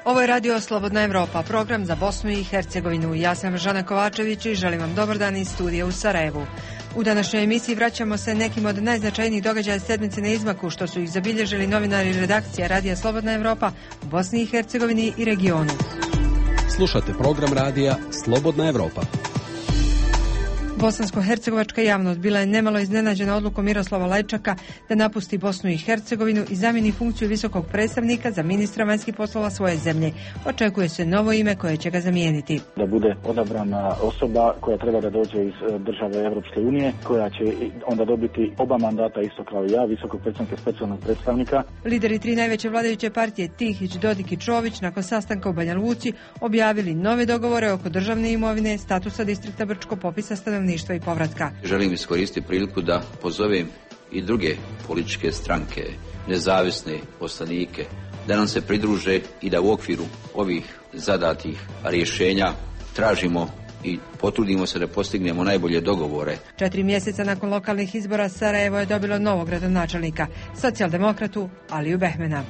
Ovo je Radio Slobodna Evropa, program za Bosnu i Hercegovinu. Ja sam Žana Kovačević i želim vam dobar dan iz studija u Sarajevu. U današnjoj emisiji vraćamo se nekim od najznačajnijih događaja sedmice na izmaku, što su ih zabilježili novinari redakcija Radija Slobodna Evropa u Bosni i Hercegovini i regionu. Slušate program radija Slobodna Evropa. Bosansko-hercegovačka javnost bila je nemalo iznenađena odlukom Miroslava Lajčaka da napusti Bosnu i Hercegovinu i zamijeni funkciju visokog predstavnika za ministra vanjskih poslova svoje zemlje. Očekuje se novo ime koje će ga zamijeniti. Da bude odabrana osoba koja treba da dođe iz države Europske unije, koja će onda dobiti oba mandata isto kao i ja, visokog predstavnika i specijalnog predstavnika. Lideri tri najveće vladajuće partije Tihić, Dodik i Čović nakon sastanka u Banja Luci objavili nove dogovore oko državne imovine, statusa distrikta Brčko, popisa stanovništva i povratka. Želim iskoristiti priliku da pozovem i druge političke stranke, nezavisne poslanike, da nam se pridruže i da u okviru ovih zadatih rješenja tražimo i potrudimo se da postignemo najbolje dogovore. 4 mjeseca nakon lokalnih izbora Sarajevo je dobilo novog gradonačelnika, socijaldemokratu Aliju Behmena.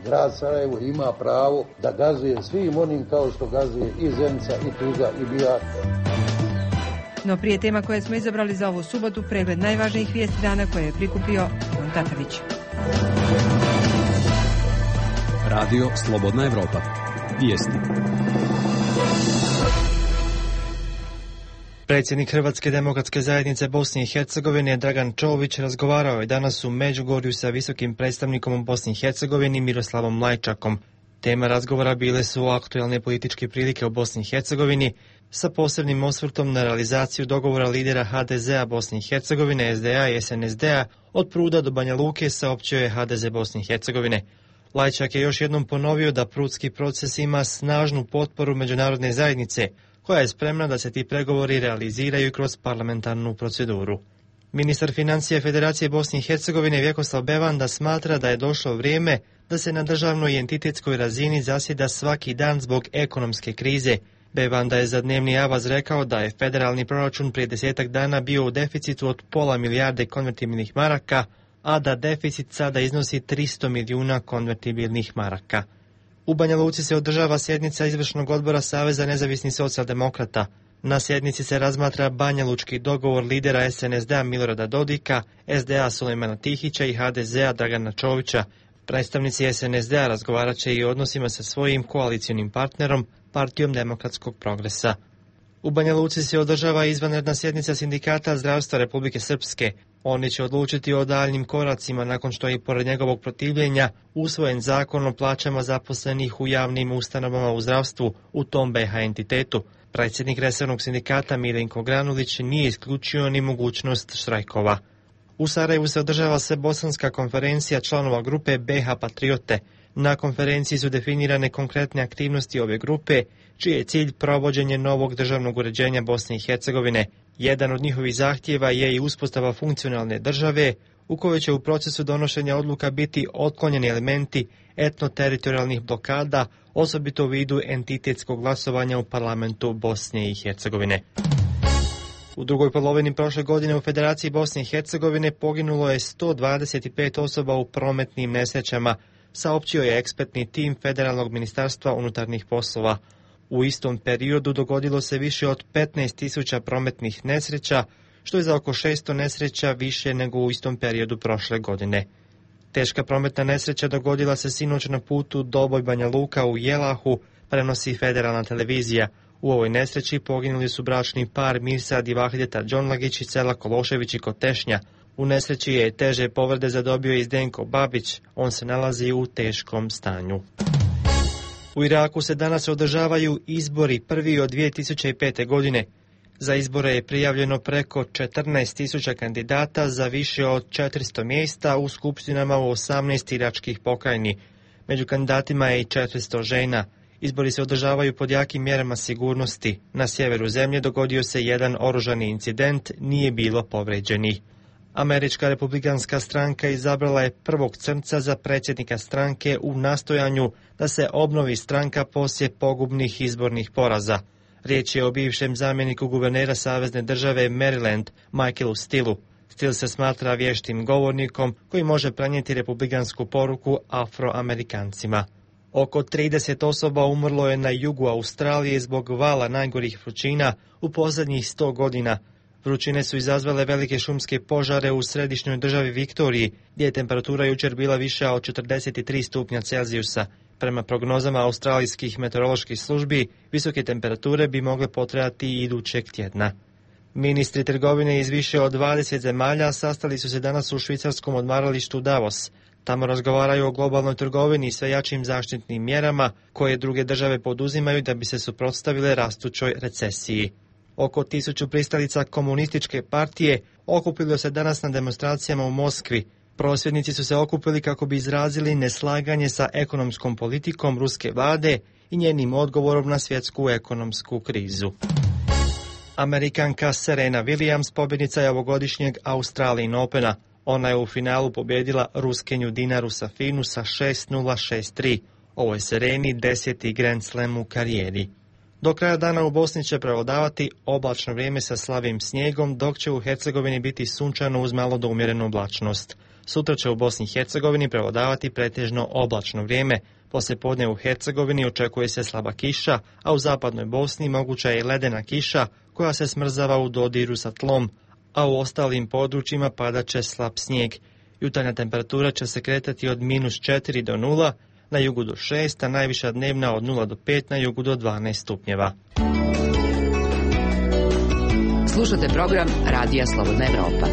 Grad Sarajevo ima pravo da gazuje svim onim kao što gazuje i Zenica, i Tuzla, i Bihar. No prije tema koje smo izabrali za ovu subotu, pregled najvažnijih vijesti dana koje je prikupio Ivan Tatavić. Radio Slobodna Evropa. Vijesti. Predsjednik Hrvatske demokratske zajednice Bosne i Hercegovine Dragan Čović razgovarao je danas u Međugorju sa visokim predstavnikom u Bosni i Hercegovini Miroslavom Lajčakom. Tema razgovora bile su aktualne političke prilike u Bosni i Hercegovini, sa posebnim osvrtom na realizaciju dogovora lidera HDZ-a Bosne i Hercegovine, SDA i SNSD-a od Pruda do Banja Luke, saopćio je HDZ Bosne i Hercegovine. Lajčak je još jednom ponovio da prudski proces ima snažnu potporu međunarodne zajednice, koja je spremna da se ti pregovori realiziraju kroz parlamentarnu proceduru. Ministar financija Federacije Bosne i Hercegovine Vjekoslav Bevanda smatra da je došlo vrijeme da se na državnoj i entitetskoj razini zasjeda svaki dan zbog ekonomske krize. Bevanda je za dnevni avaz rekao da je federalni proračun prije 10 dana bio u deficitu od pola milijarde konvertibilnih maraka, a da deficit sada iznosi 300 milijuna konvertibilnih maraka. U Banja Luci se održava sjednica izvršnog odbora Saveza nezavisnih socijaldemokrata. Na sjednici se razmatra banjalučki dogovor lidera SNSD-a Milorada Dodika, SDA Sulejmana Tihića i HDZ-a Dragana Čovića. Predstavnici SNSD-a razgovarat će i o odnosima sa svojim koalicionim partnerom, Partijom demokratskog progresa. U Banja Luci se održava izvanredna sjednica Sindikata zdravstva Republike Srpske. Oni će odlučiti o daljnjim koracima nakon što je pored njegovog protivljenja usvojen zakon o plaćama zaposlenih u javnim ustanovama u zdravstvu u tom BiH entitetu. Predsjednik resornog sindikata Milenko Granulić nije isključio ni mogućnost štrajkova. U Sarajevu se održava bosanska konferencija članova grupe BiH Patriote. Na konferenciji su definirane konkretne aktivnosti ove grupe, čiji je cilj provođenje novog državnog uređenja Bosne i Hercegovine. Jedan od njihovih zahtjeva je i uspostava funkcionalne države, u kojoj će u procesu donošenja odluka biti otklonjeni elementi etnoteritorijalnih blokada, osobito u vidu entitetskog glasovanja u parlamentu Bosne i Hercegovine. U drugoj polovini prošle godine u Federaciji Bosne i Hercegovine poginulo je 125 osoba u prometnim nesrećama, saopćio je ekspertni tim Federalnog ministarstva unutarnjih poslova. U istom periodu dogodilo se više od 15.000 prometnih nesreća, što je za oko 600 nesreća više nego u istom periodu prošle godine. Teška prometna nesreća dogodila se sinoć na putu Doboj Banja Luka u Jelahu, prenosi Federalna televizija. U ovoj nesreći poginuli su bračni par Mirsad i Vahdeta Đonlagić iz sela Kološević i Kotešnja. U nesreći je teže povrede zadobio i Zdenko Babić, on se nalazi u teškom stanju. U Iraku se danas održavaju izbori prvi od 2005. godine. Za izbore je prijavljeno preko 14.000 kandidata za više od 400 mjesta u skupštinama u 18 iračkih pokrajini. Među kandidatima je i 400 žena. Izbori se održavaju pod jakim mjerama sigurnosti. Na sjeveru zemlje dogodio se jedan oružani incident, nije bilo povređenih. Američka republikanska stranka izabrala je prvog crnca za predsjednika stranke u nastojanju da se obnovi stranka poslije pogubnih izbornih poraza. Riječ je o bivšem zamjeniku guvernera savezne države Maryland, Michaelu Stillu. Still se smatra vještim govornikom koji može prenijeti republikansku poruku Afroamerikancima. Oko 30 osoba umrlo je na jugu Australije zbog vala najgorih vrućina u posljednjih 100 godina. Vrućine su izazvale velike šumske požare u središnjoj državi Viktoriji, gdje je temperatura jučer bila viša od 43 stupnja Celzijusa. Prema prognozama australijskih meteoroloških službi, visoke temperature bi mogle potrajati i idućeg tjedna. Ministri trgovine iz više od 20 zemalja sastali su se danas u švicarskom odmaralištu Davos. Tamo razgovaraju o globalnoj trgovini i sve jačim zaštitnim mjerama koje druge države poduzimaju da bi se suprotstavile rastućoj recesiji. Oko 1000 pristalica komunističke partije okupilo se danas na demonstracijama u Moskvi. Prosvjednici su se okupili kako bi izrazili neslaganje sa ekonomskom politikom ruske vlade i njenim odgovorom na svjetsku ekonomsku krizu. Amerikanka Serena Williams pobjednica je ovogodišnjeg Australian Opena. Ona je u finalu pobjedila Ruskinju Dinaru Safinu sa 6-0, 6-3. Ovo je Sereni 10. Grand Slam u karijeri. Do kraja dana u Bosni će prevladavati oblačno vrijeme sa slabim snijegom, dok će u Hercegovini biti sunčano uz malo do umjerenu oblačnost. Sutra će u Bosni i Hercegovini prevladavati pretežno oblačno vrijeme. Poslijepodne u Hercegovini očekuje se slaba kiša, a u zapadnoj Bosni moguća je i ledena kiša koja se smrzava u dodiru sa tlom, a u ostalim područjima padat će slab snijeg. Jutarnja temperatura će se kretati od -4 do 0, na jugu do 6, a najviša dnevna od 0 do 5, na jugu do 12 stupnjeva. Slušate program Radija Slobodna Evropa.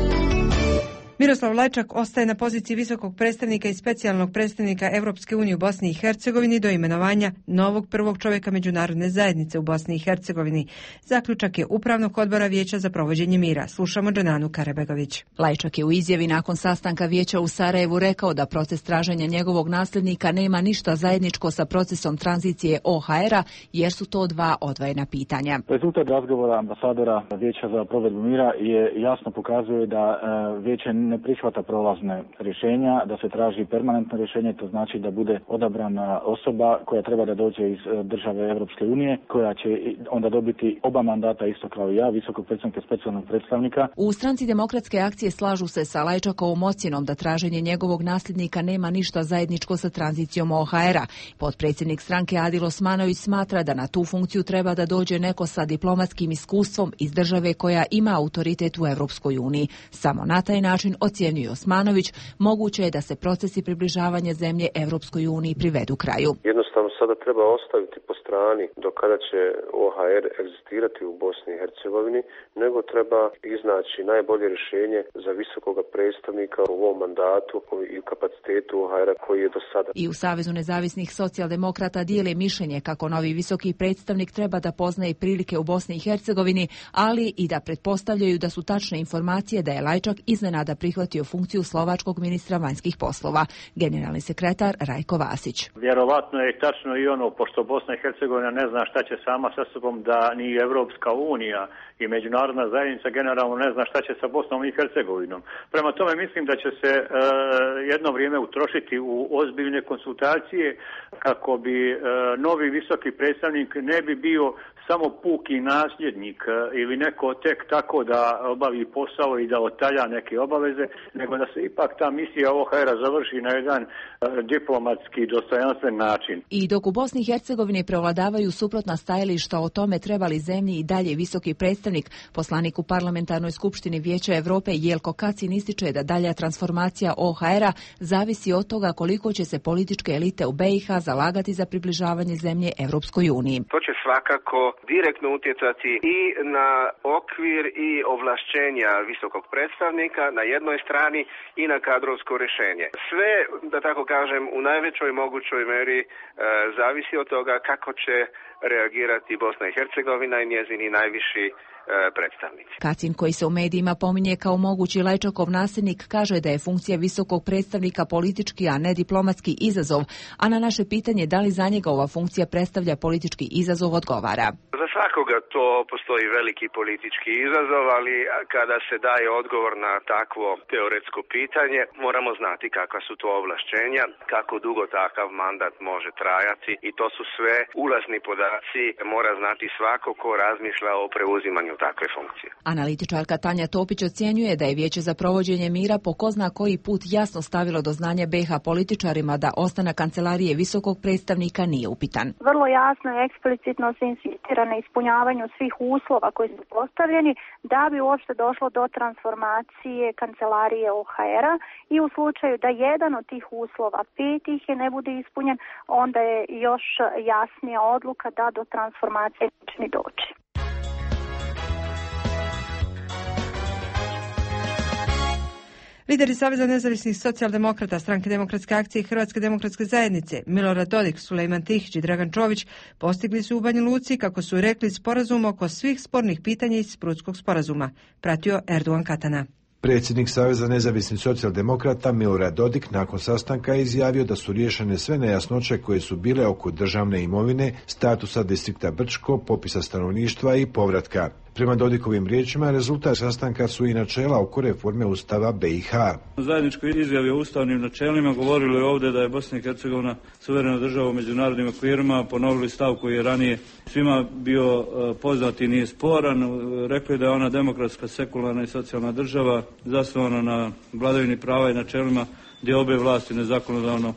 Miroslav Lajčak ostaje na poziciji visokog predstavnika i specijalnog predstavnika Europske unije u Bosni i Hercegovini do imenovanja novog prvog čovjeka međunarodne zajednice u Bosni i Hercegovini. Zaključak je Upravnog odbora Vijeća za provođenje mira. Slušamo Džananu Karebegović. Lajčak je u izjavi nakon sastanka Vijeća u Sarajevu rekao da proces traženja njegovog nasljednika nema ništa zajedničko sa procesom tranzicije OHR-a, jer su to dva odvojena pitanja. Rezultat razgovora ambasadora Vijeća za provedbu mira jasno pokazuje da Vijeće ne prihvata prolazne rješenja, da se traži permanentno rješenje, to znači da bude odabrana osoba koja treba da dođe iz države Europske unije, koja će onda dobiti oba mandata isto kao i ja, visokog predstavnika i specijalnog predstavnika. U stranci Demokratske akcije slažu se sa Lajčakovom ocjenom da traženje njegovog nasljednika nema ništa zajedničko sa tranzicijom OHR-a. Potpredsjednik stranke Adil Osmanović smatra da na tu funkciju treba da dođe neko sa diplomatskim iskustvom iz države koja ima autoritet u Europskoj uniji. Samo na taj način, ocjenjuje Osmanović, moguće je da se procesi približavanja zemlje Europskoj uniji privedu kraju. Jednostavno sada treba ostaviti po strani do kada će OHR egzistirati u Bosni i Hercegovini, nego treba iznaći najbolje rješenje za visokoga predstavnika u ovom mandatu i kapacitetu OHR-a koji je do sada. I u Savezu nezavisnih socijaldemokrata dijele mišljenje kako novi visoki predstavnik treba da poznaje prilike u Bosni i Hercegovini, ali i da pretpostavljaju da su tačne informacije da je Lajčak iznenada prihvatio funkciju slovačkog ministra vanjskih poslova. Generalni sekretar Rajko Vasić. Vjerovatno je tačno i ono, pošto Bosna i Hercegovina ne zna šta će sama sa sobom, da ni Evropska unija i međunarodna zajednica generalno ne zna šta će sa Bosnom i Hercegovinom. Prema tome mislim da će se jedno vrijeme utrošiti u ozbiljne konsultacije kako bi novi visoki predstavnik ne bi bio samo puki nasljednik ili neko tek tako da obavi posao i da otalja neke obaveze, nego da se ipak ta misija OHR-a završi na jedan diplomatski dostojanstven način. I dok u Bosni i Hercegovini prevladavaju suprotna stajališta o tome treba li zemlji i dalje visoki predstavnik, poslanik u Parlamentarnoj skupštini Vijeća Europe Jelko Kacin ističe da dalja transformacija OHR-a zavisi od toga koliko će se političke elite u BiH zalagati za približavanje zemlje Europskoj uniji. To će svakako direktno utjecati i na okvir i ovlašćenja visokog predstavnika na jednoj strani i na kadrovsko rješenje. Sve, da tako kažem, u najvećoj mogućoj meri zavisi od toga kako će reagirati Bosna i Hercegovina i njezini najviši predstavnici. Kacin, koji se u medijima pominje kao mogući Lajčakov nasljednik, kaže da je funkcija visokog predstavnika politički, a ne diplomatski izazov, a na naše pitanje da li za njega ova funkcija predstavlja politički izazov odgovara. Za svakoga to postoji veliki politički izazov, ali kada se daje odgovor na takvo teoretsko pitanje, moramo znati kakva su to ovlašćenja, kako dugo takav mandat može trajati i to su sve ulazni podaci, mora znati svako ko razmišlja o preuzimanju takve funkcije. Analitičarka Tanja Topić ocjenjuje da je Vijeće za provođenje mira po ko zna koji put jasno stavilo do znanja BiH političarima da ostanak kancelarije visokog predstavnika nije upitan. Vrlo jasno i eksplicitno se insistira na ispunjavanju svih uslova koji su postavljeni da bi uopšte došlo do transformacije kancelarije OHR-a i u slučaju da jedan od tih uslova, 5 ih ne bude ispunjen, onda je još jasnija odluka da do transformacije neće ni doći. Lideri Saveza nezavisnih socijaldemokrata, Stranke demokratske akcije i Hrvatske demokratske zajednice, Milorad Dodik, Sulejman Tihić i Dragan Čović, postigli su u Banja Luci, kako su rekli, sporazum oko svih spornih pitanja iz Sprudskog sporazuma. Pratio Erdogan Katana. Predsjednik Saveza nezavisnih socijaldemokrata Milorad Dodik nakon sastanka je izjavio da su riješene sve nejasnoće koje su bile oko državne imovine, statusa distrikta Brčko, popisa stanovništva i povratka. Prema Dodikovim riječima, rezultat sastanka su i načela oko reforme Ustava BiH. U zajedničkoj izjavi o ustavnim načelima govorili ovdje da je Bosna i Hercegovina suverena država u međunarodnim okvirima, ponovili stav koji je ranije svima bio poznat i nije sporan, rekli da je ona demokratska, sekularna i socijalna država zasnovana na vladavini prava i načelima gdje obe vlasti, nezakonodavno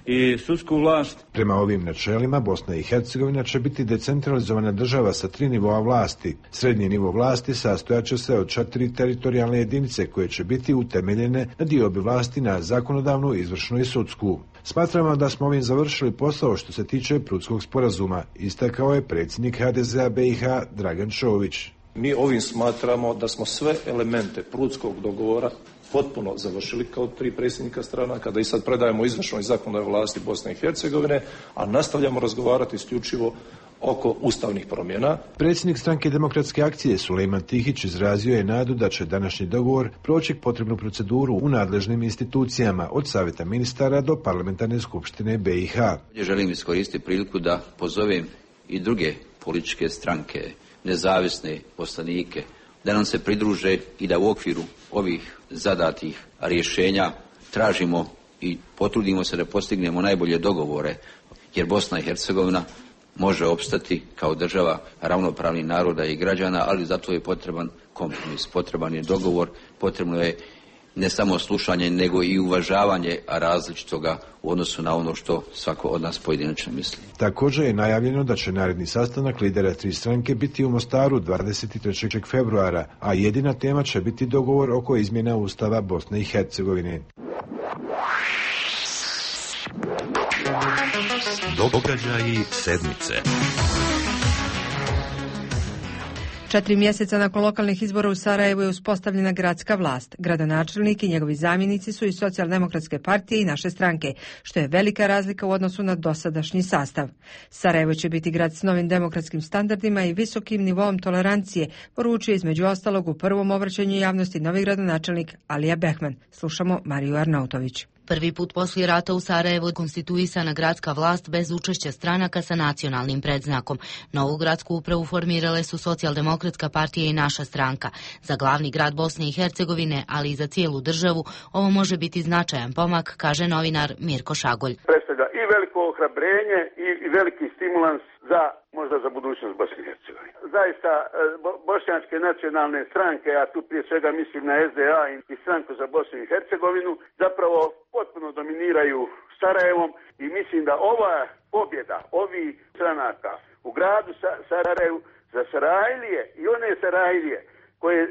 i sudsku vlast. Prema ovim načelima Bosna i Hercegovina će biti decentralizovana država sa 3 nivoa vlasti. Srednji nivo vlasti sastojat će se od 4 teritorijalne jedinice koje će biti utemeljene na diobi vlasti na zakonodavnu, izvršnu i sudsku. Smatramo da smo ovim završili posao što se tiče Prudskog sporazuma, istakao je predsjednik HDZ-a BiH Dragan Čović. Mi ovim smatramo da smo sve elemente Prudskog dogovora potpuno završili kao 3 predsjednika stranaka, da i sad predajemo izvršnoj i zakonodavnoj vlasti Bosne i Hercegovine, a nastavljamo razgovarati isključivo oko ustavnih promjena. Predsjednik Stranke demokratske akcije Sulejman Tihić izrazio je nadu da će današnji dogovor proći potrebnu proceduru u nadležnim institucijama, od Savjeta ministara do Parlamentarne skupštine BiH. Želim iskoristiti priliku da pozovem i druge političke stranke, nezavisne poslanike, da nam se pridruže i da u okviru ovih zadatih rješenja tražimo i potrudimo se da postignemo najbolje dogovore, jer Bosna i Hercegovina može opstati kao država ravnopravnih naroda i građana, ali zato je potreban kompromis, potreban je dogovor, potrebno je ne samo slušanje, nego i uvažavanje različitoga u odnosu na ono što svako od nas pojedinačno misli. Također je najavljeno da će naredni sastanak lidera 3 stranke biti u Mostaru 23. februara, a jedina tema će biti dogovor oko izmjena Ustava Bosne i Hercegovine. Događaji sedmice. 4 mjeseca nakon lokalnih izbora u Sarajevu je uspostavljena gradska vlast. Gradonačelnik i njegovi zamjenici su iz Socijaldemokratske partije i naše stranke, što je velika razlika u odnosu na dosadašnji sastav. Sarajevo će biti grad s novim demokratskim standardima i visokim nivoom tolerancije, poručuje između ostalog u prvom obraćanju javnosti novi gradonačelnik Alija Behman. Slušamo Mariju Arnautović. Prvi put poslije rata u Sarajevu konstituisana gradska vlast bez učešća stranaka sa nacionalnim predznakom. Novu gradsku upravu formirale su Socijaldemokratska partija i naša stranka. Za glavni grad Bosne i Hercegovine, ali i za cijelu državu, ovo može biti značajan pomak, kaže novinar Mirko Šagolj. Predstavlja i veliko ohrabrenje i veliki stimulans možda za budućnost Bosne i Hercegovine. Zaista bošnjačke nacionalne stranke, a tu prije svega mislim na SDA i stranku za Bosnu i Hercegovinu, zapravo potpuno dominiraju Sarajevom i mislim da ova pobjeda ovih stranaka u gradu Sarajevu za Sarajlije i one Sarajlije koje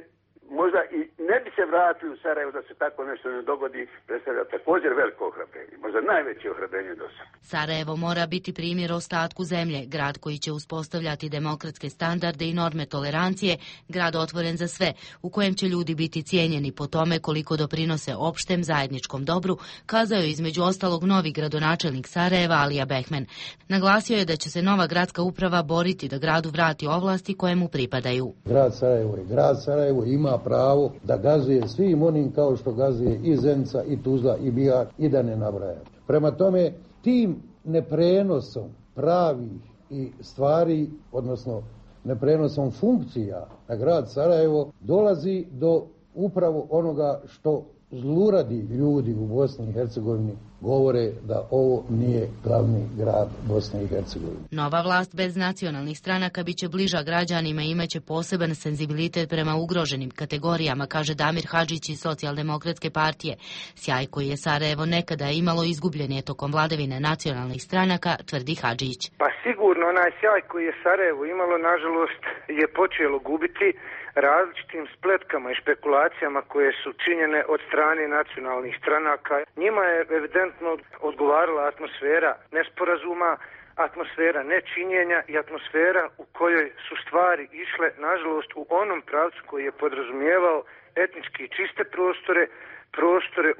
možda i ne bi se vratili u Sarajevo da se tako nešto ne dogodi, predstavlja također veliko ohrabrenje, možda najveće ohrabrenje do sada. Sarajevo mora biti primjer ostatku zemlje, grad koji će uspostavljati demokratske standarde i norme tolerancije, grad otvoren za sve, u kojem će ljudi biti cijenjeni po tome koliko doprinose opštem zajedničkom dobru, kazao je između ostalog novi gradonačelnik Sarajeva Alija Behman. Naglasio je da će se nova gradska uprava boriti da gradu vrati ovlasti koje mu pripadaju. Grad Sarajevo ima pravo da gazuje svim onim kao što gazuje i Zenica, i Tuzla, i Bihar, i da ne nabrajam. Prema tome, tim neprenosom pravih i stvari, odnosno neprenosom funkcija na grad Sarajevo dolazi do upravo onoga što zluradi ljudi u Bosni i Hercegovini govore da ovo nije glavni grad Bosne i Hercegovine. Nova vlast bez nacionalnih stranaka biće bliža građanima i imaće poseban senzibilitet prema ugroženim kategorijama, kaže Damir Hadžić iz Socijaldemokratske partije. Sjaj koji je Sarajevo nekada imalo izgubljen je tokom vladavine nacionalnih stranaka, tvrdi Hadžić. Pa sigurno onaj sjaj koji je Sarajevo imalo, nažalost, je počelo gubiti različitim spletkama i špekulacijama koje su činjene od strane nacionalnih stranaka. Njima je evidentno odgovarala atmosfera nesporazuma, atmosfera nečinjenja i atmosfera u kojoj su stvari išle, nažalost, u onom pravcu koji je podrazumijevao etnički čiste prostore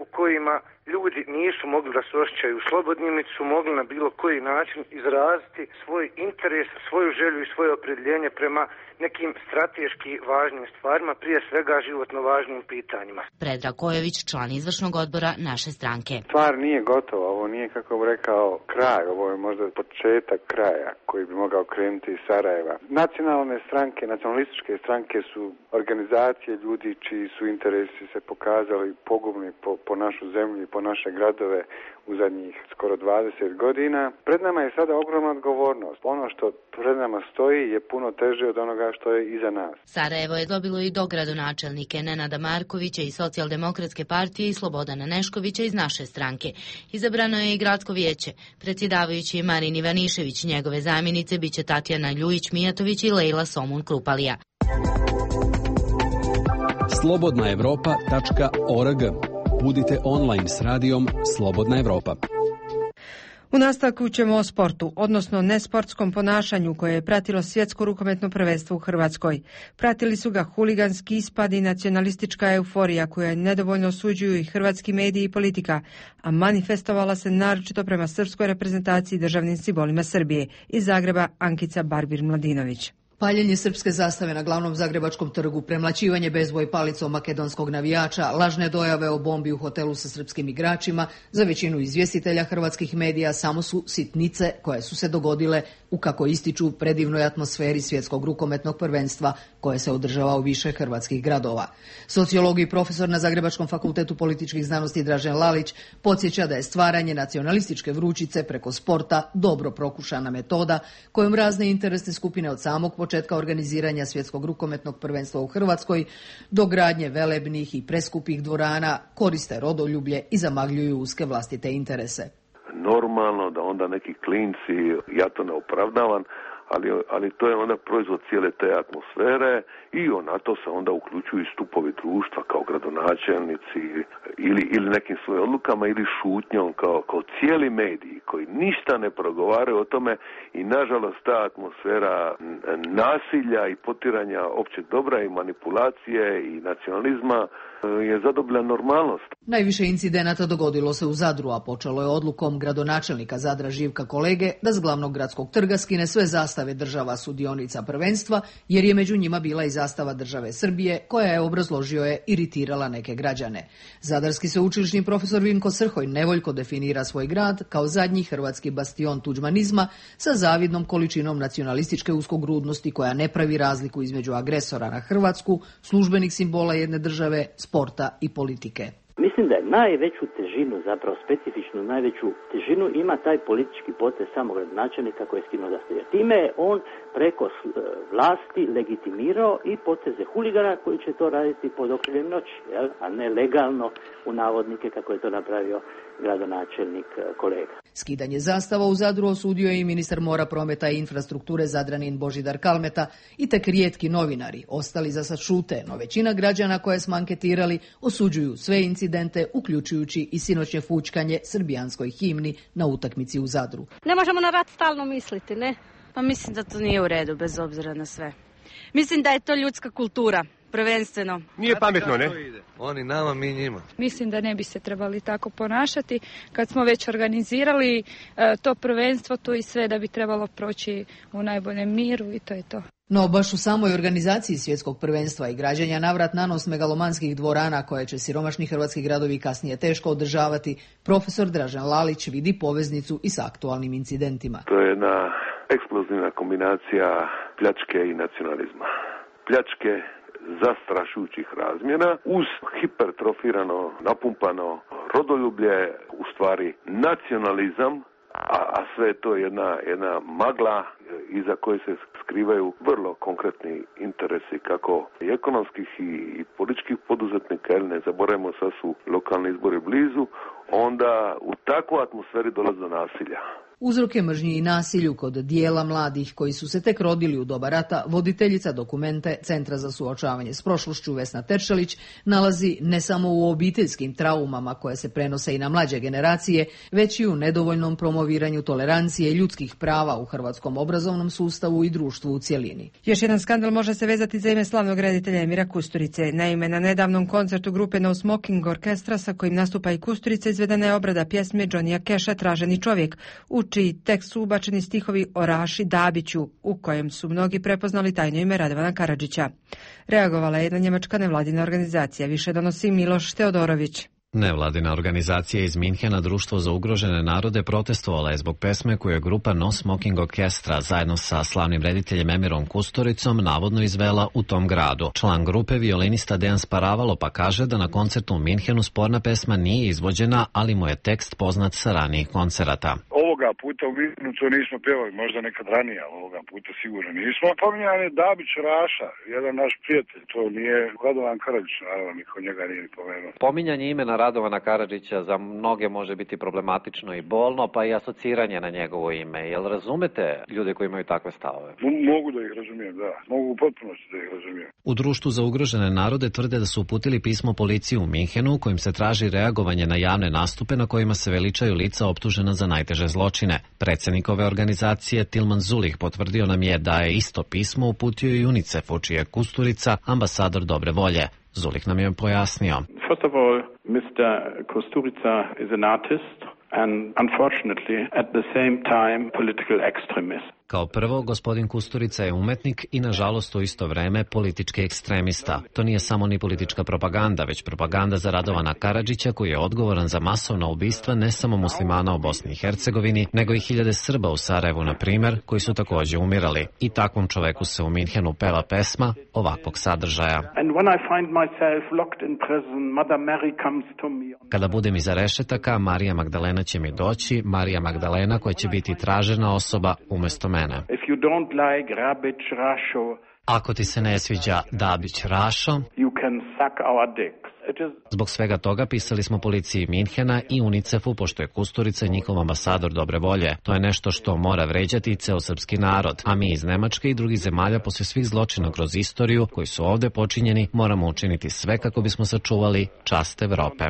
u kojima ljudi nisu mogli da se osjećaju slobodni, niti su mogli na bilo koji način izraziti svoj interes, svoju želju i svoje opredjeljenje prema nekim strateški važnim stvarima, prije svega životno važnim pitanjima. Predrag Kojović, član izvršnog odbora naše stranke. Stvar nije gotova, ovo nije, kako bih rekao, kraj, ovo je možda početak kraja koji bi mogao krenuti iz Sarajeva. Nacionalne stranke, nacionalističke stranke su organizacije ljudi čiji su interesi se pokazali pogubni po našu zemlju i po naše gradove u zadnjih skoro 20 godina. Pred nama je sada ogromna odgovornost. Ono što pred nama stoji je puno teže od onoga što je iza nas. Sarajevo je dobilo i dogradonačelnike Nenada Markovića iz Socijaldemokratske partije i Slobodana Neškovića iz naše stranke. Izabrano je i gradsko vijeće. Predsjedavajući je Marin Ivanišević, njegove zamjenice biće Tatjana Ljujić-Mijatović i Lejla Somun-Krupalija. slobodnaevropa.org. Budite online s radijom Slobodna Evropa. U nastavku ćemo o sportu, odnosno nesportskom ponašanju koje je pratilo svjetsko rukometno prvenstvo u Hrvatskoj. Pratili su ga huliganski ispad i nacionalistička euforija koja nedovoljno osuđuju i hrvatski mediji i politika, a manifestovala se naročito prema srpskoj reprezentaciji i državnim simbolima Srbije. Iz Zagreba Ankica Barbir-Mladinović. Paljenje srpske zastave na glavnom zagrebačkom trgu, premlaćivanje bezboj palicom makedonskog navijača, lažne dojave o bombi u hotelu sa srpskim igračima, za većinu izvjestitelja hrvatskih medija samo su sitnice koje su se dogodile u, kako ističu, predivnoj atmosferi svjetskog rukometnog prvenstva koje se održava u više hrvatskih gradova. Sociolog i profesor na Zagrebačkom fakultetu političkih znanosti Dražen Lalić podsjeća da je stvaranje nacionalističke vrućice preko sporta dobro prokušana metoda kojom razne interesne skupine od samog početka organiziranja svjetskog rukometnog prvenstva u Hrvatskoj do gradnje velebnih i preskupih dvorana koriste rodoljublje i zamagljuju uske vlastite interese. Normalno da onda neki klinci, ja to ne opravdavam, ali to je onda proizvod cijele te atmosfere i na to se onda uključuju i stupovi društva kao gradonačelnici ili nekim svojim odlukama ili šutnjom kao cijeli mediji koji ništa ne progovaraju o tome i nažalost ta atmosfera nasilja i potiranja općeg dobra i manipulacije i nacionalizma je zadobila normalnost. Najviše incidenata dogodilo se u Zadru, a počelo je odlukom gradonačelnika Zadra Živka Kolege da s glavnog gradskog trga skine sve zastave država sudionica prvenstva, jer je među njima bila i zastava države Srbije, koja je, obrazložio je, iritirala neke građane. Zadarski sveučilišni profesor Vinko Srhoj nevoljko definira svoj grad kao zadnji hrvatski bastion tuđmanizma sa zavidnom količinom nacionalističke uskogrudnosti koja ne pravi razliku između agresora na Hrvatsku, službenih simbola jedne države, sporta i politike. Mislim da je najveću težinu, zapravo specifičnu najveću težinu ima taj politički potez samog gradonačelnika koji je skinuo zastave. Time je on preko vlasti legitimirao i poteze huligana koji će to raditi pod okriljem noći, a ne legalno u navodnike kako je to napravio gradonačelnik Kolega. Skidanje zastava u Zadru osudio je i ministar mora, prometa i infrastrukture Zadranin Božidar Kalmeta i tek rijetki novinari. Ostali za sad šute, no većina građana koje smo anketirali osuđuju sve incidente, uključujući i sinoćnje fućkanje srbijanskoj himni na utakmici u Zadru. Ne možemo na rat stalno misliti, ne? Pa mislim da to nije u redu, bez obzira na sve. Mislim da je to ljudska kultura. Prvenstveno. Nije pametno, ne? Oni nama, mi njima. Mislim da ne bi se trebali tako ponašati. Kad smo već organizirali to prvenstvo, to i sve da bi trebalo proći u najboljem miru i to je to. No, baš u samoj organizaciji svjetskog prvenstva i građenja navrat nanos megalomanskih dvorana koje će siromašni hrvatski gradovi kasnije teško održavati, profesor Dražen Lalić vidi poveznicu i s aktualnim incidentima. To je jedna eksplozivna kombinacija pljačke i nacionalizma. Pljačke zastrašujućih razmjera uz hipertrofirano, napumpano rodoljublje, u stvari nacionalizam, a sve je to jedna magla iza koje se skrivaju vrlo konkretni interesi kako i ekonomskih i političkih poduzetnika, jer ne zaboravimo, sad su lokalni izbori blizu, onda u takvoj atmosferi dolazi do nasilja. Uzroke mržnji i nasilju kod dijela mladih koji su se tek rodili u doba rata, voditeljica dokumente Centra za suočavanje s prošlošću Vesna Teršelić nalazi ne samo u obiteljskim traumama koje se prenose i na mlađe generacije, već i u nedovoljnom promoviranju tolerancije ljudskih prava u hrvatskom obrazovnom sustavu i društvu u cjelini. Još jedan skandal može se vezati za ime slavnog reditelja Emira Kusturice. Naime, na nedavnom koncertu grupe No Smoking Orkestra sa kojim nastupa i Kusturica izvedena je obrada pjesme Johnnyja Casha Traženi čovjek, u čiji tekst su ubačeni stihovi o Raši Dabiću, u kojem su mnogi prepoznali tajno ime Radovana Karadžića. Reagovala je jedna njemačka nevladina organizacija, više donosi Miloš Teodorović. Nevladina organizacija iz Minhena, Društvo za ugrožene narode, protestovala je zbog pesme koju je grupa No Smoking Orkestra zajedno sa slavnim rediteljem Emirom Kusturicom navodno izvela u tom gradu. Član grupe, violinista Dejan Sparavalo, pa kaže da na koncertu u Minhenu sporna pesma nije izvođena, ali mu je tekst poznat sa ranijih koncerata. Ovoga puta u Minhenu to nismo pjevali, možda nekad ranije, ali ovoga puta sigurno nismo. Pominjan je Dabić Raša, jedan naš prijatelj, to nije Radovan Karadžić, naravno, niko njega nije pomenuo. Pominjanje imena Radovana Karadžića za mnoge može biti problematično i bolno, pa i asociranje na njegovo ime. Jel razumete ljude koji imaju takve stavove? Mogu da ih razumijem, da. Mogu u potpunosti da ih razumijem. U Društvu za ugrožene narode tvrde da su uputili pismo policiji u Minhenu kojim se traži reagovanje na javne nastupe na kojima se veličaju lica optužena za najteže zločine. Predsjednik ove organizacije Tilman Zulich potvrdio nam je da je isto pismo uputio i UNICEF-u, čiji je Kusturica ambasador dobre volje. Zulich nam je pojasnio. First of all, Mr. Kusturica is an artist and unfortunately at the same time political extremist. Kao prvo, gospodin Kusturica je umetnik i nažalost u isto vreme politički ekstremista. To nije samo ni politička propaganda, već propaganda za Radovana Karadžića koji je odgovoran za masovna ubistva ne samo muslimana u Bosni i Hercegovini, nego i hiljade Srba u Sarajevu, na primjer, koji su također umirali. I takvom čoveku se u Minhenu peva pesma ovakvog sadržaja. Kada budem iza rešetaka, Marija Magdalena će mi doći, Marija Magdalena koja će biti tražena osoba umjesto mene. Ako ti se ne sviđa Dabić Rašo, zbog svega toga pisali smo policiji Minhena i UNICEF-u, pošto je Kusturica njihov ambasador dobre volje. To je nešto što mora vređati i ceo srpski narod, a mi iz Nemačke i drugih zemalja poslije svih zločina kroz istoriju koji su ovdje počinjeni moramo učiniti sve kako bismo sačuvali čast Evrope.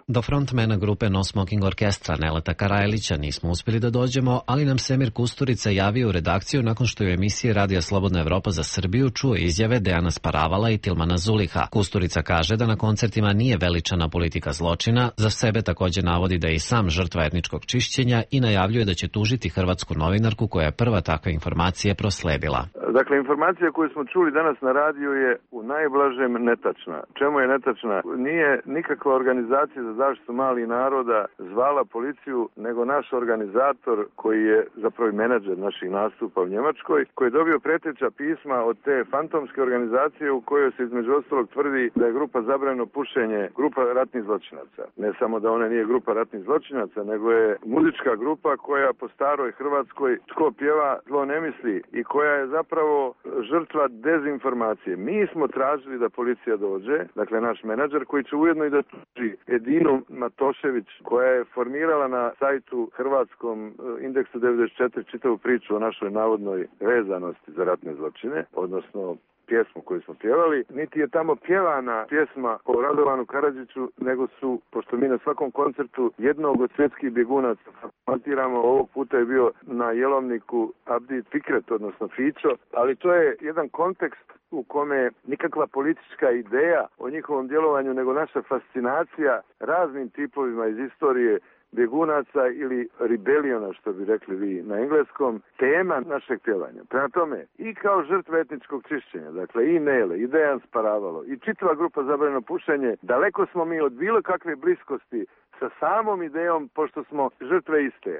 Do frontmena grupe No Smoking Orkestra Neleta Karajlića nismo uspjeli da dođemo, ali nam se Emir Kusturica javio u redakciju nakon što je u emisiji Radija Slobodna Evropa za Srbiju čuo izjave Dejana Sparavala i Tilmana Zuliha. Kusturica kaže da na koncertima nije veličana politika zločina, za sebe također navodi da je i sam žrtva etničkog čišćenja i najavljuje da će tužiti hrvatsku novinarku koja je prva takve informacije prosledila. Dakle, informacija koju smo čuli danas na radiju je u najblažem netačna. Čemu je netačna? Nije nikakva organizacija za zaštitu malih naroda zvala policiju, nego naš organizator koji je zapravo menadžer naših nastupa u Njemačkoj, koji je dobio preteća pisma od te fantomske organizacije u kojoj se između ostalog tvrdi da je grupa Zabranjeno pušenje grupa ratnih zločinaca. Ne samo da ona nije grupa ratnih zločinaca, nego je muzička grupa koja po staroj Hrvatskoj tko pjeva zlo ne misli i koja je zapravo žrtva dezinformacije. Mi smo tražili da policija dođe, dakle naš menadžer koji će ujedno i da tuži Edinu Matošević koja je formirala na sajtu hrvatskom indeksu 94 čitavu priču o našoj navodnoj vezanosti za ratne zločine, odnosno pjesmu koju smo pjevali, niti je tamo pjevana pjesma o Radovanu Karadžiću, nego su, pošto mi na svakom koncertu jednog od svjetskih bjegunaca montiramo, ovog puta je bio na jelovniku Abdi Fikret, odnosno Fićo, ali to je jedan kontekst u kome nikakva politička ideja o njihovom djelovanju, nego naša fascinacija raznim tipovima iz istorije bjegunaca ili rebeliona, što bi rekli vi na engleskom, tema našeg pjevanja. Prema tome, i kao žrtve etničkog čišćenja, dakle i Nele, i Dejan Sparavalo, i čitava grupa Zabranjeno pušenje, daleko smo mi od bilo kakve bliskosti sa samom idejom, pošto smo žrtve iste.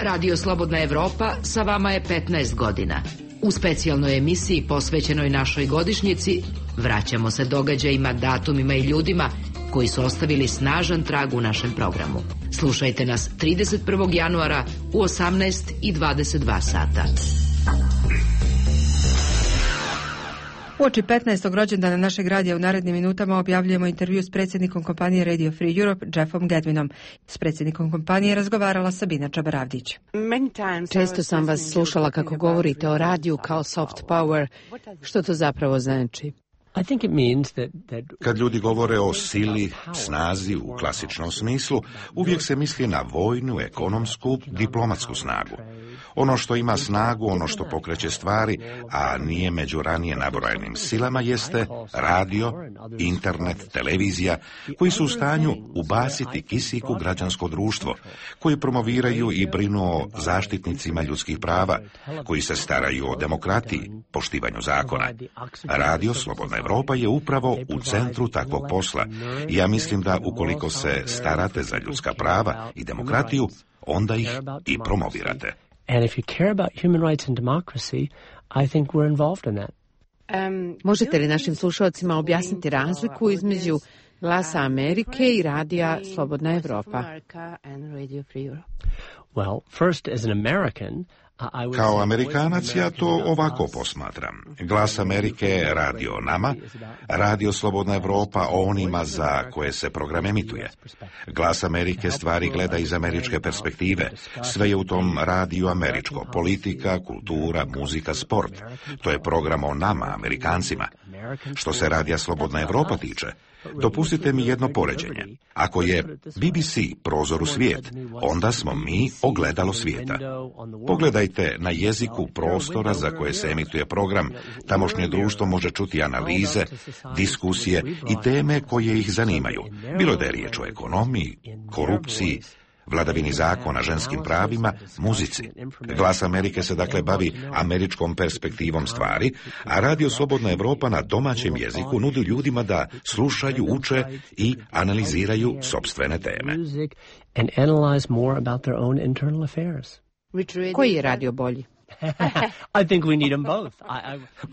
Radio Slobodna Evropa sa vama je 15 godina. U specijalnoj emisiji posvećenoj našoj godišnjici vraćamo se događajima, datumima i ljudima koji su ostavili snažan trag u našem programu. Slušajte nas 31. januara u 18:22 sata. Uoči 15. rođendana našeg radija u narednim minutama objavljujemo intervju s predsjednikom kompanije Radio Free Europe, Jeffom Gedwinom. S predsjednikom kompanije razgovarala Sabina Čabaravdić. Često sam vas slušala kako govorite o radiju kao soft power. Što to zapravo znači? Kad ljudi govore o sili, snazi u klasičnom smislu, uvijek se misli na vojnu, ekonomsku, diplomatsku snagu. Ono što ima snagu, ono što pokreće stvari, a nije među ranije nabrojenim silama, jeste radio, internet, televizija, koji su u stanju ubaciti kisik u građansko društvo, koji promoviraju i brinu o zaštitnicima ljudskih prava, koji se staraju o demokratiji, poštivanju zakona. Radio Slobodna Evropa je upravo u centru takvog posla. I ja mislim da ukoliko se starate za ljudska prava i demokratiju, onda ih i promovirate. And if you care about human rights and democracy, I think we're involved in that. Možete li našim slušalcima objasniti razliku između Glasa Amerike i radija Slobodna Evropa? Well, first, as an American, Kao Amerikanac ja to ovako posmatram. Glas Amerike je radio nama, radio Slobodna Evropa o onima za koje se program emituje. Glas Amerike stvari gleda iz američke perspektive. Sve je u tom radiju američko. Politika, kultura, muzika, sport. To je program o nama, Amerikancima. Što se radija Slobodna Evropa tiče, dopustite mi jedno poređenje. Ako je BBC prozor u svijet, onda smo mi ogledalo svijeta. Pogledajte na jeziku prostora za koje se emituje program. Tamošnje društvo može čuti analize, diskusije i teme koje ih zanimaju. Bilo da je riječ o ekonomiji, korupciji, vladavini zakona, ženskim pravima, muzici. Glas Amerike se dakle bavi američkom perspektivom stvari, a Radio Slobodna Evropa na domaćem jeziku nudi ljudima da slušaju, uče i analiziraju sopstvene teme. Koji je radio bolji? I think we need them both.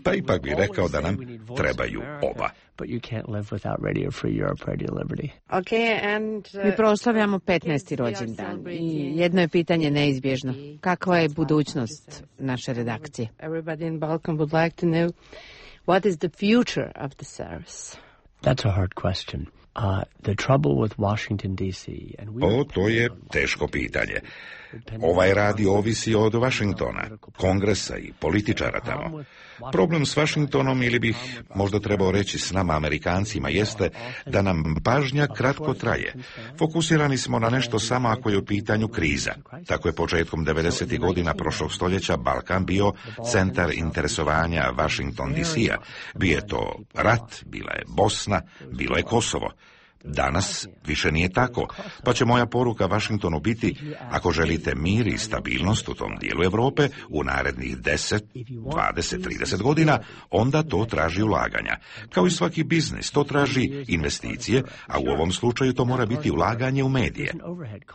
Pa ipak bih rekao da nam trebaju oba. But you can't live without Radio Free Europe, Radio Liberty. Mi proslavljamo 15. rođendan i jedno je pitanje neizbježno. Kakva je budućnost naše redakcije? Everybody in Balkan would like to know what is the future of the service. That's a hard question. The trouble with Washington DC and to je teško pitanje. Ovaj radio ovisi od Washingtona, kongresa i političara tamo. Problem s Washingtonom, ili bih možda trebao reći s nama Amerikancima, jeste da nam pažnja kratko traje. Fokusirani smo na nešto samo ako je u pitanju kriza. Tako je početkom 90. godina prošlog stoljeća Balkan bio centar interesovanja Washington DC-a. Bio je to rat, bila je Bosna, bilo je Kosovo. Danas više nije tako, pa će moja poruka Washingtonu biti: ako želite mir i stabilnost u tom dijelu Europe u narednih 10, 20, 30 godina, onda to traži ulaganja. Kao i svaki biznis, to traži investicije, a u ovom slučaju to mora biti ulaganje u medije.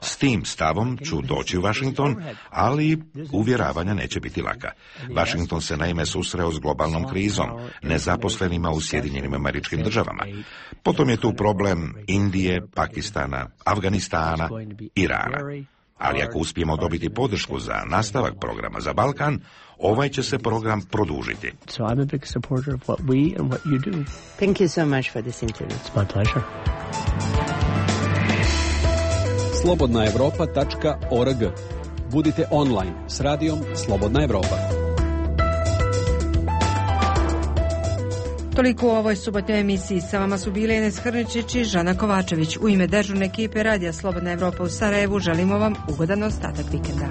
S tim stavom ću doći u Washington, ali uvjeravanja neće biti laka. Washington se naime susreo s globalnom krizom, nezaposlenima u Sjedinjenim Američkim Državama. Potom je tu problem Indije, Pakistana, Afganistana, Irana. Ali ako uspijemo dobiti podršku za nastavak programa za Balkan, ovaj će se program produžiti. So I'm a big supporter of what we and what you do. Thank you so much for this interview. It's my pleasure. slobodnaevropa.org. Budite online s radijom Slobodna Evropa. Toliko u ovoj subotnjoj emisiji. Sa vama su bile Ines Hrničić i Žana Kovačević. U ime dežurne ekipe Radija Slobodna Evropa u Sarajevu želimo vam ugodan ostatak vikenda.